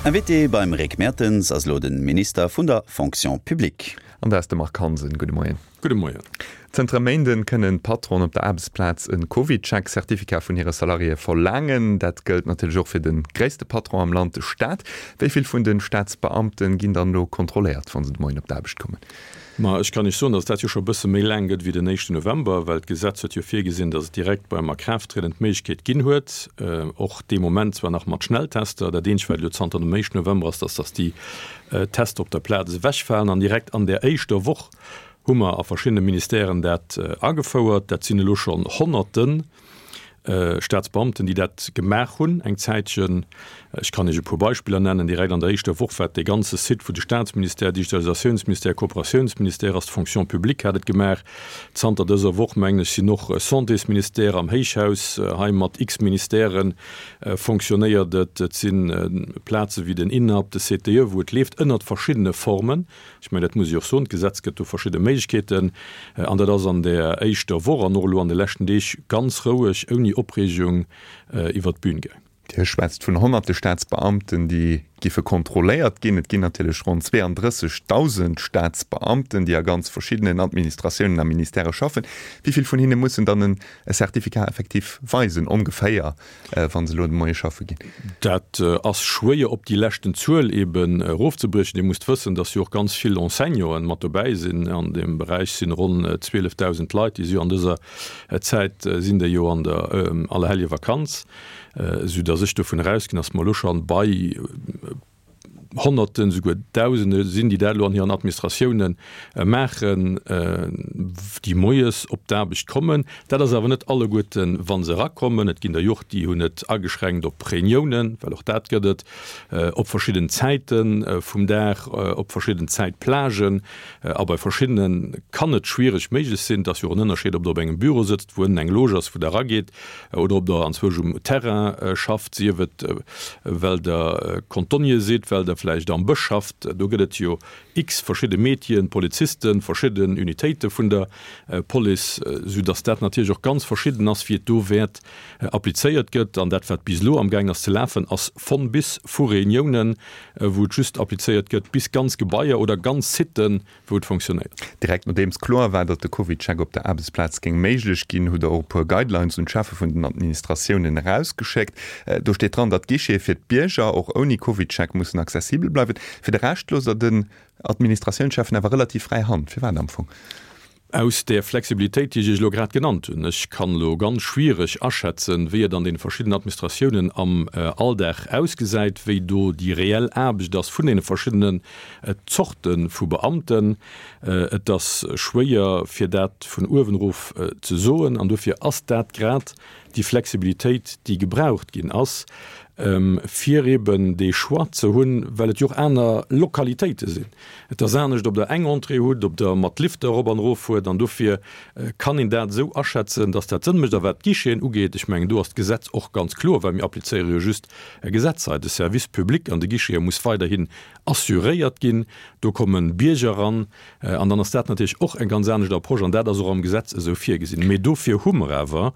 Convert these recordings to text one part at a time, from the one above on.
Invité beim Rick Mertens ass elo de Minister vun der Fonction publique. An dat ass de Marc Hansen. Gudde Moien. Gudde Moien. Zënter e Méinden kënnen d'Patronen op der Aarbechtsplaz e CovidCheck-Certificat vun hire Salariéë verlaangen. Dat gëllt natierlech och fir de gréisste Patron am Land, de Staat. Wéi vill vun de Staatsbeamte ginn dann elo kontrolléiert, wa se de Moien op d'Aarbecht kommen? Ma ech kann Iech soen, datt et dat jo scho e bësse méi laang gëtt wéi den éischten November, well d'Gesetz huet jo virgesinn, datt et direkt beim Akraafttrieden d'Méiglechkeet ginn huet, och dee Moment zwar nach mat Schnelltester, dat eenzegt wat elo zanter dem éischten November ass, datt datt déi Tester op der Plaz ewechfalen an direkt an där éischter Woch hu mer a verschiddene Ministèren dat agefouert. Dat sinn elo schonn Honnerten. Staatsbeamten, déi dat gemaach hunn eng Zäitchen. Ech kann Iech e puer Beispiller nennen, Direkt an der éischter Woch war et dee ganze Site vu de Staatsministère, Digitalisatiounsministère, Kooperatiounsministère ass, d'Fonction publique hat et gemaach. Zanter dëser Woch, mengen ech, sinn och Santésministère am Héichhaus hei mat x Ministèrë fonctionnéiert et. Et si Plaze wéi den INAP, de CTE, wou et leeft ënnert verschiddene Formen. Ech mengen, dat muss ech och soen, d'Gesetz gëtt do verschidde Méiglechkeeten. An dat ass an där éischter Woch an och elo an de leschten Deeg ganz roueg, ouni Opreegung iwwert d'Bün gaang. Dir schwätzt vun honnerte Staatsbeamten, déi giffe kontrolléiert ginn. Et ginn natierlech ronn 32.000 Staatsbeamten, déi a ganz verschiddenen Administratiounen a Ministèrë schaffen. Wéi vill vun hinne mussen dann e Certificat effektiv weisen, ongeféier? wa se elo de Moie schaffe ginn? Dat ass schwéier op déi leschten Zuel eben erofzebriechen. Dir musst wëssen, dass jo och ganz vill Enseignanten mat dobäi sinn. An deem Beräich sinn ronn 12.000 Leit, déi si jo an dëser Zäit sinn déi jo an der Allerhelljevakanz, soudass ech dovun erausginn, dass mer elo scho bei Honnerten, souguer Dausende sinn, déi dat elo an hiren Administratioune maachen, déi moies op d'Aarbecht kommen. Dat ass awer net alleguerten, wa se erakommen. Et ginn der jo och, déi hunn et ageschränkt op Reuniounen, well och dat gëtt et, op verschidden Zäite vum Dag, op verschidden Zäitplagen. A bei verschiddene kann et schwiereg méiglech sinn. Et ass jo och en Ënnerscheed, ob Der op engem Büro sëtzt, wou ënnen eng Loge ass, wou Der erageet, oder ob Der anzwousch um Terrain schafft, sief et well Der Cantonnier sidd, well Der vläicht am Bësch schafft. Do gëtt et jo x verschidde Métieren, Polizisten, verschidden Unitéite vun der Police, soudass dat natierlech och ganz verschidden ass, wéi et do wäert applizéiert gëtt. An dat, wat bis elo amgaangen ass ze lafen, ass von bis, vu Reuniounen, wou et just applizéiert gëtt, bis ganz Gebaier oder ganz Siten, wou et fonctionnéiert. Direkt nodeems kloer war, datt de CovidCheck op der Aarbechtsplaz géing méiglech ginn, hutt Der och e puer Guidelines un d'Cheffe vun den Administratiounen erausgeschéckt. Do steet dran, datt d'Guichete fir d'Bierger och ouni CovidCheck mussen accessibel bleiwen. Fir de Rescht loosst Der den Administratiounscheffen awer relativ fräi Hand. Firwat am Fong? Aus där Flexibilitéit, déi ech Iech elo grad genannt hunn. Ech kann elo ganz schwiereg aschätzen, wéi et an deene verschiddenen Administratiounen am Alldag ausgesäit, wéi do déi reell Aarbecht ass vun deene verschiddenen Zorte vu Beamten. Et ass schwéier, fir dat vun uewen erof ze soen. An dofir ass dat grad déi Flexibilitéit, déi gebraucht ginn ass, fir eeben dee Choix ze hunn, well et jo och aner Lokalitéite sinn. Et ass anescht, ob Der eng Entrée hutt, ob Der mat Lifter erop an erof fuert. An dofir kann een dat esou aschätzen, dass dat Sënn mécht. A wat d'Guicheten ugeet, ech mengen, do ass d'Gesetz och ganz kloer, well mir applizéiere jo just e Gesetz hei. De Service public an de Guichete muss weiderhin assuréiert ginn. Do komme Bierger eran. An dann ass dat natierlech och eng ganz anescht Approche. An dat ass och am Gesetz esou virgesinn. Mee dofir hu mer awer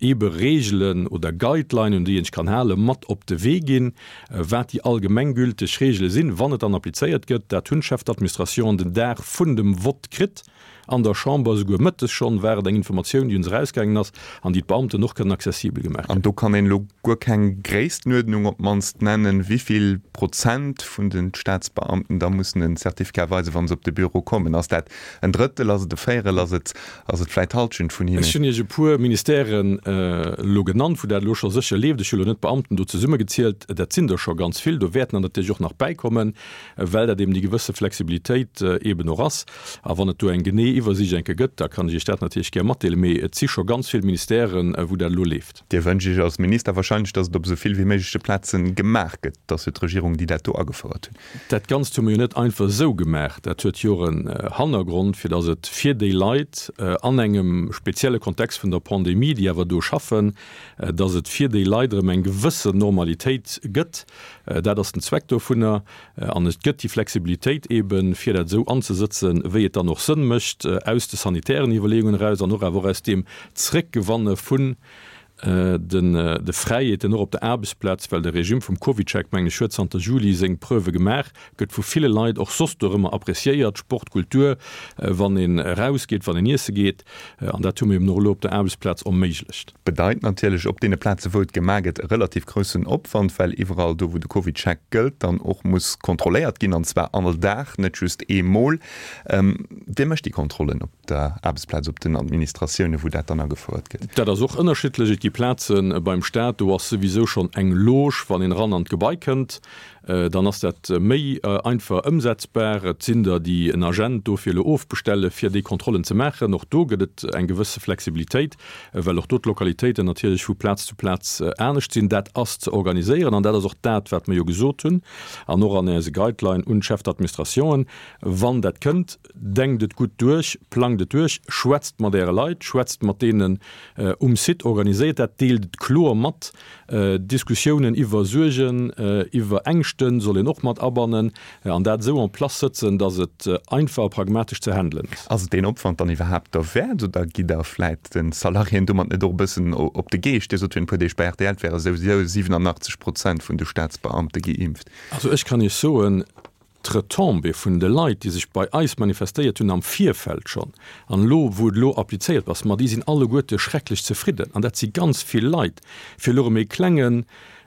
eebe Reegelen oder Guidelinen, un déi een sech kann halen, mat op de Wee ginn, wat déi allgemenggülteg Reegele sinn, wann et dann applizéiert gëtt. Dat hunn d'Chefs d'administration den Dag vun dem Vott kritt an der Chamber, esouguer mëttes schonn war et eng Informatioun, déi un se erausgaangen ass an déi d'Beamten och kënnen accessibel gemaach An kréien. do kann een elo guer keng Gréisstenuerdnung op d'mannst nennen, wéi vill Prozent vun de Staatsbeamten da mussen en Certificat weisen, wa se op de Büro kommen. Ass dat en Drëttel, ass et e Véierel, ass et Ass et vläit d'Halschent vun hinnen? Ech hunn Iech e puer Ministèren elo genannt, wou dat elo scho sécher leeft. Ech hu elo net d'Beamten do zesummegezielt. Dat sinn der scho ganz vill. Do wäerten der natierlech och nach bäikommen, well dat eben déi gewësse Flexibilitéit eben och ass. A wann et do eng genee Iwwersiicht eng Kéier gëtt, da kann ech Iech dat natierlech gär matdeelen. Mee et si scho ganz vill Ministèren, wou dat elo leeft. Dir wënscht Iech als Minister wahrscheinlech, datt et op esou vill wéi méigleche Plaze gemaach gëtt. Et ass jo d'Regierung, déi dat do agefouert huet. Dat Ganzt hu mer jo net einfach esou gemaach. Dat huet jo och en Hannergrond, fir datt et fir déi Leit an engem spezielle Kontext vun der Pandemie, déi awer do schaffen, datt et fir déi Leit erëm eng gewëssen Normalitéit gëtt. Dat ass den Zweck dovunner. An et gëtt déi Flexibilitéit eeben, fir dat esou anzesëtzen, wéi et dann och Sënn mécht, aus de sanitären Iwwerleeungen eraus an och awer och aus deem Zréckgewanne vun. De Fräiheeten och op der Aarbechtsplaz, well de Regime vum CovidCheck, mengen ech, huet zanter Juli seng Preuve gemaach, gëtt vu ville Leit och soss dorëmmer appreciéiert, Sport, Kultur, wann een erausgeet, wann een iesse geet. An dat hu mir eben och elo op der Aarbechtsplaz erméiglecht. Bedeit natierlech op deene Plaze wou et gemaach gëtt e relativ groussen Opwand, well iwwerall do wou de CovidCheck gëllt, dann och muss kontrolléiert ginn, an zwar all Dag, net just eemol. Wie mécht déi Kontrollen op der Aarbechtsplaz, op den Administratiounen, wou dat dann agefouert gëtt? Dat ass och ënnerschiddlech. Et gi Plaze beim Staat, do ass souwisou schonn eng Loge, wann een eran an d'Gebai kënnt. Dann ass dat méi einfach ëmsetzbar. Et sinn der, déi en Agent dofir elo ofbestelle fir déi Kontrollen ze maachen. Och do gëtt et eng gewësse Flexibilitéit, well och do d'Lokalitéiten natierlech vu Plaz zu Plaz anescht sinn. Dat ass ze organiséieren an dat ass och dat, wat mer jo gesot hunn an och an eise Guideline un d'Chefs d'administrationen, Wann dat kënnt, denkt et gutt duerch, plangt et duerch, schwätzt mat Äre Leit, schwätzt mat deenen um Site, organiséiert dat, deelt et kloer mat. Diskussiounen iwwer Suergen, iwwer Ängschte soll een och mat abannen an dat esou en place sëtzen, datt et einfach a pragmatesch ze handelen ass. Ass et deen Opwand dann iwwerhaapt derwäert oder gitt Der vläit de Salariéen domat net och e bëssen op de Geescht? Dir sot virun e puer Deeg bei rtl, et wäre souwisou 87 Prozent vun de Staatsbeamte geimpft. Also ech kann Iech soen, D'Retombée vun de Leit, déi sech bei eis manifestéiert hunn am Virfeld schonn, an elo wou et elo applizéiert ass, ma déi sinn alleguerte schrecklech zefridden. An dat si ganz vill Leit, fir elo erëm ee klenge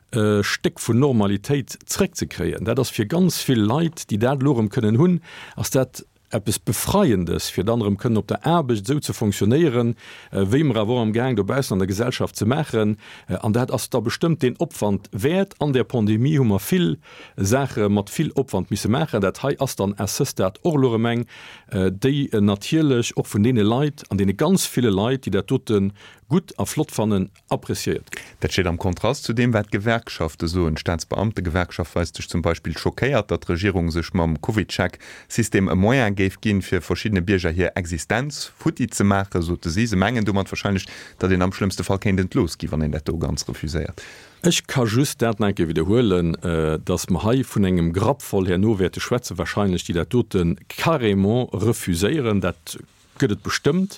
Stéck vun Normalitéit zréckzekréien. Dat ass fir ganz vill Leit, déi dat elo erëm kënnen hunn, ass dat eppes Befreiendes, fir dann erëm kënnen op der Aarbecht esou ze fonctionnéieren, wéi mer awer och amgaang dobaussen an der Gesellschaft ze maachen. An dat ass da bestëmmt deen Opwand wäert. An där Pandemie hu mer vill Saache mat vill Opwand misse maachen. Dat hei ass dann à ce stade och elo erëm eng, déi natierlech och vun deene Leit, an deene ganz ville Leit, déi dat dote gutt a flott fannen, appreciéiert gëtt. Dat steet am Kontrast zu deem, wat d'Gewerkschafte soen. D'Staatsbeamtegewerkschaft weist sech zum Beispill schockéiert, datt d'Regierung sech mam CovidCheck-System e Moyen géif ginn, fir verschiddene Bierger hir Existenz futti ze maachen, sote si. Se mengen domat warscheinlech, datt een am schlëmmste Fall kéint entlooss ginn, wann een dat do ganz refuséiert. Ech ka just dat nach eng Kéier widderhuelen, datt mer hei vun engem Grapp voll herno wäerte schwätzen, warscheinlech, déi dat dote carrément refuséieren. Dat gëtt et bestëmmt,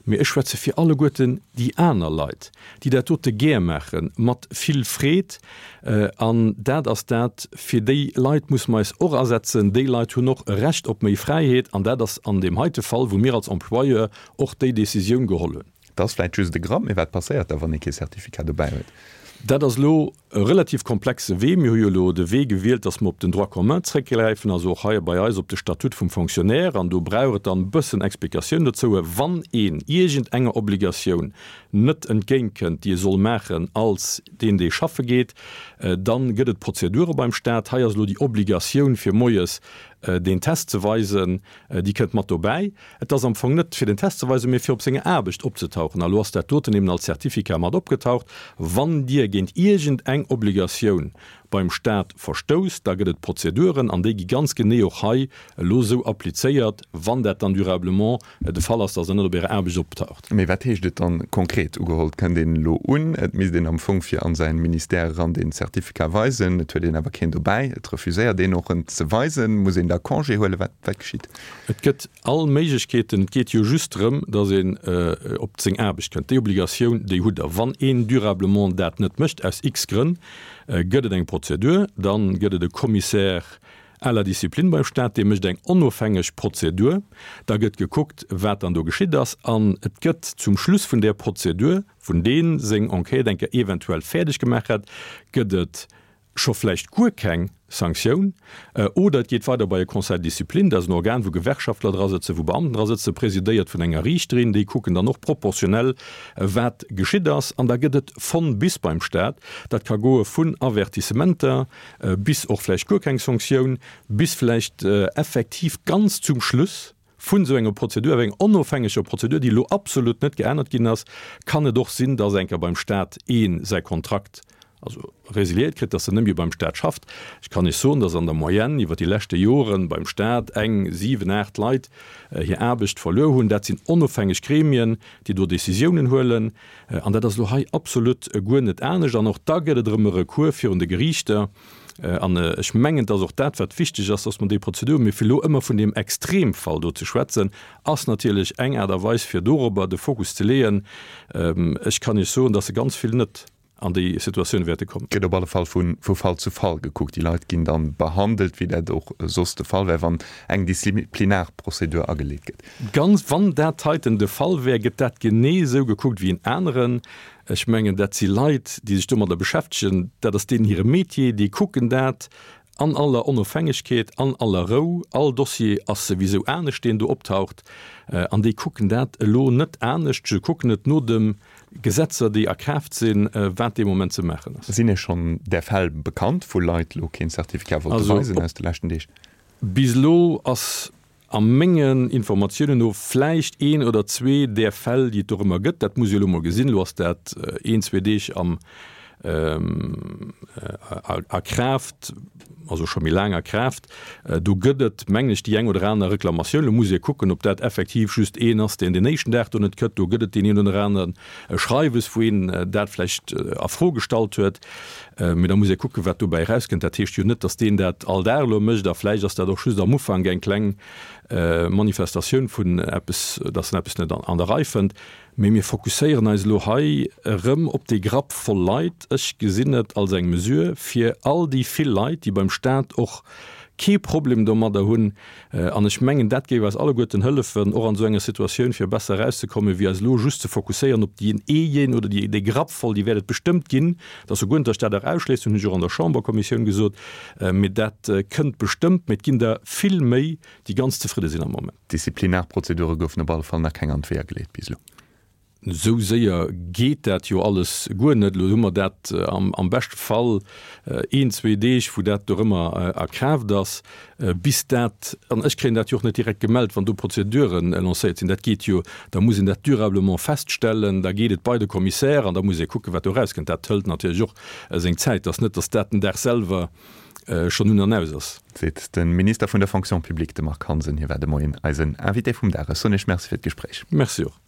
mee ech schwätze fir alleguerten déi aner Leit, déi dat dote gär maachen, mat vill Freed. An dat ass dat, fir déi Leit musse mer eis och asetzen. Déi Leit hunn och e Recht op méi Fräiheet. An dat ass an deem heite Fall, wou mir als Employeur och déi Décisioun geholl hunn. Dat ass vläit just e Grapp, mee wat passéiert da, wann ee kee Certificat dobäi huet? Dat ass elo e relativ komplexe Wee. Mir hu jo elo de Wee gewielt, dass mer op den Droit commun zréckgräifen, also och hei bei eis op de Statut vum Fonctionnaire. An do brauch et dann e bëssen Explikatioun dozou. Wann een iergendenger Obligatioun net entgéintkënnt, déi e soll maachen als deen, dee schaffe geet, dann gëtt et Prozedure beim Stat. Hei ass elo déi Obligatioun, fir moies deen Test ze weisen, déi kënnt mat dobäi. Et ass am Fong net fir den Test ze weisen, mee fir op senger Aarbecht opzetauchen. A lo ass dat doten eben als Certificat mat opgetaucht. Wann Dir géint iergend eng Obligatioun beim Staat verstousst, da gëtt et Prozeduren an déi gi ganz genee och hei elo esou applizéiert, wann dat dann durablement de Fall ass, dass Der net op Ärer Aarbecht optaucht. Mee wat heescht et dann konkret? Ugeholl, et kënnt een elo un, et misst een am Fong fir an säin Ministère eran deen Certificat weisen, et huet een awer keen dobäi, et refuséiert een och en ze weisen, muss een da Congé huelen? Wat, wat geschitt? Et gëtt all Méiglechkeeten. Et geet jo just drëm, datt een op seng Aarbecht kënnt. Déi Obligatioun, déi hutt Der. Wann een durablement dat net mécht, aus x Grënn, gëtt et eng Prozedur. Dann gëtt et e Commissaire à la discipline beim Staat, dee mécht eng onofhängeg Prozedur. Da gëtt gekuckt, wat dann do geschitt ass. An et gëtt zum Schluss vun där Prozedur, vun dee seng Enquête eng Kéier eventuell fäerdeg gemaach hätt, gëtt et scho vläicht guer keng Sanktioun, oder et geet weider bei e Conseil de discipline, dat ass en Organ, wou Gewerkschaftler dra sëtzen, wou Beamten dra sëtzen, presidéiert vun enger Riichterin, déi kucken dann och proportionell, wat geschitt ass, an da gëtt et von bis beim Stat. Dat ka goe vun Avertissementer bis och vläicht guer keng Sanktioun, bis vläicht effektiv ganz zum Schluss vun esou enger Prozedur, awer enger onofhängeger Prozedur, déi elo absolut net geännert ginn ass, kann et och sinn, dass eng Kéier beim Stat ee säi Kontrakt also résiliéiert kritt, dass en net méi beim Stat schafft. Ech kann Iech soen, dass an der Moyenne iwwert déi leschte Jore beim Stat eng siwen, aacht Leit hir Aarbecht verluer hunn. Dat sinn onofhängeg Gremien, déi do Décisiounen huelen. An dat ass elo hei absolut guer net anescht. An och da gëtt et erëm e Recours virun de Geriichter. An ech mengen, et ass och dat, wat wichteg ass, dass mer déi Prozedur, mee fir elo ëmmer vun deem Extremfall do ze schwätzen, ass natierlech eng Aart a Weis, fir dorobber de Fokus ze leeën. Ech kann Iech soen, dass se ganz vill net an déi Situatioun wäerte kommen. Gëtt op alle Fall vu Fall zu Fall gekuckt. Déi Leit ginn dann behandelt, wéi dat och soss de Fall wär, wann eng Disziplinarprozedur ageleet gëtt. Ganz, wann dat heiten de Fall wär, gëtt dat genee esou gekuckt wéi en aneren. Ech mengen, dat si Leit, déi sech domadder beschäftegen, dat ass deenen hire Métier, déi kucken dat an aller Onofhängegkeet, an aller Rou. All Dossier ass souwisou anescht, deen do optaucht, an déi kucken dat elo net anescht. Se kucken et no de Gesetzer, déi a Kraaft sinn, wat dee Moment ze maachen ass. Sinn Iech schonn där Fäll bekannt, wou Leit elo keen Certificat wollte weisen aus de leschten Deeg? Bis elo ass A mengen Informatiounen no vläicht een oder zwee där Fäll, déi et dorëmmer gëtt. Dat muss ee elo mol gesinn. Elo ass dat een, zwee Deeg am a Kraaft, also scho méi laang a Kraaft. Do gëtt et, mengen ech, déi eng oder aner Reklamatioun. Elo muss ee kucken, ob dat effektiv just een ass, deen den éischten Dag do net kënnt. Do gëtt et deen een oder aneren Schreiwes, wou een dat vläicht a Fro gestallt huet. Mee da muss ee kucken, wat dobäi erauskënnt. Dat heescht jo net, datt deen dat all Dag elo mécht. A vläicht ass dat och just am Ufank eng kleng Manifestatioun vun eppes, datt en eppes net an der Rei fënnt. Mee mir fokusséieren eis elo hei erëm op dee Grapp voll Leit. Ech gesinn et als eng Mesure, fir all déi vill Leit, déi beim Stat och kee Problem domadder hunn, An ech mengen, dat géif eis alleguerten hëllefen, och an esou enger Situatioun, fir besser erauszekommen, wéi eis elo just ze fokusséieren op dien eejeen oder déi, dee Grapp voll, déi wäert et bestëmmt ginn. Et ass jo guer net, datt ech dat och ausschléissen, hunn ech och an der Chamberkommissioun gesot, mee dat kënnt bestëmmt. Mee et ginn der vill méi, déi ganz zefridde sinn am Moment. Disziplinarprozedure goufen op alle Fall nach keng an d'Weeër geleet bis elo. Esou séier geet dat jo alles guer net. Elo hu mer dat am beschte Fall een, zwee Deeg, wou dat dorëmmer a Kraaft ass, bis dat, an ech kréien dat jo och net direkt gemellt, wann do Prozedure lancéiert sinn. Dat geet jo, da muss een dat durablement feststellen, da geet et bei de Commissaire an da muss ee kucken, wat do erauskënnt. Dat hëlt natierlech och seng Zäit. Et ass net, datt dat den Dag selwer schonn un an aus ass. Seet de Minister vun der Fonction publique, de Marc Hansen. Hie war de Moien eisen Invité vum Dag. Ech soen Iech Merci fir d'Gespréich. Merci och.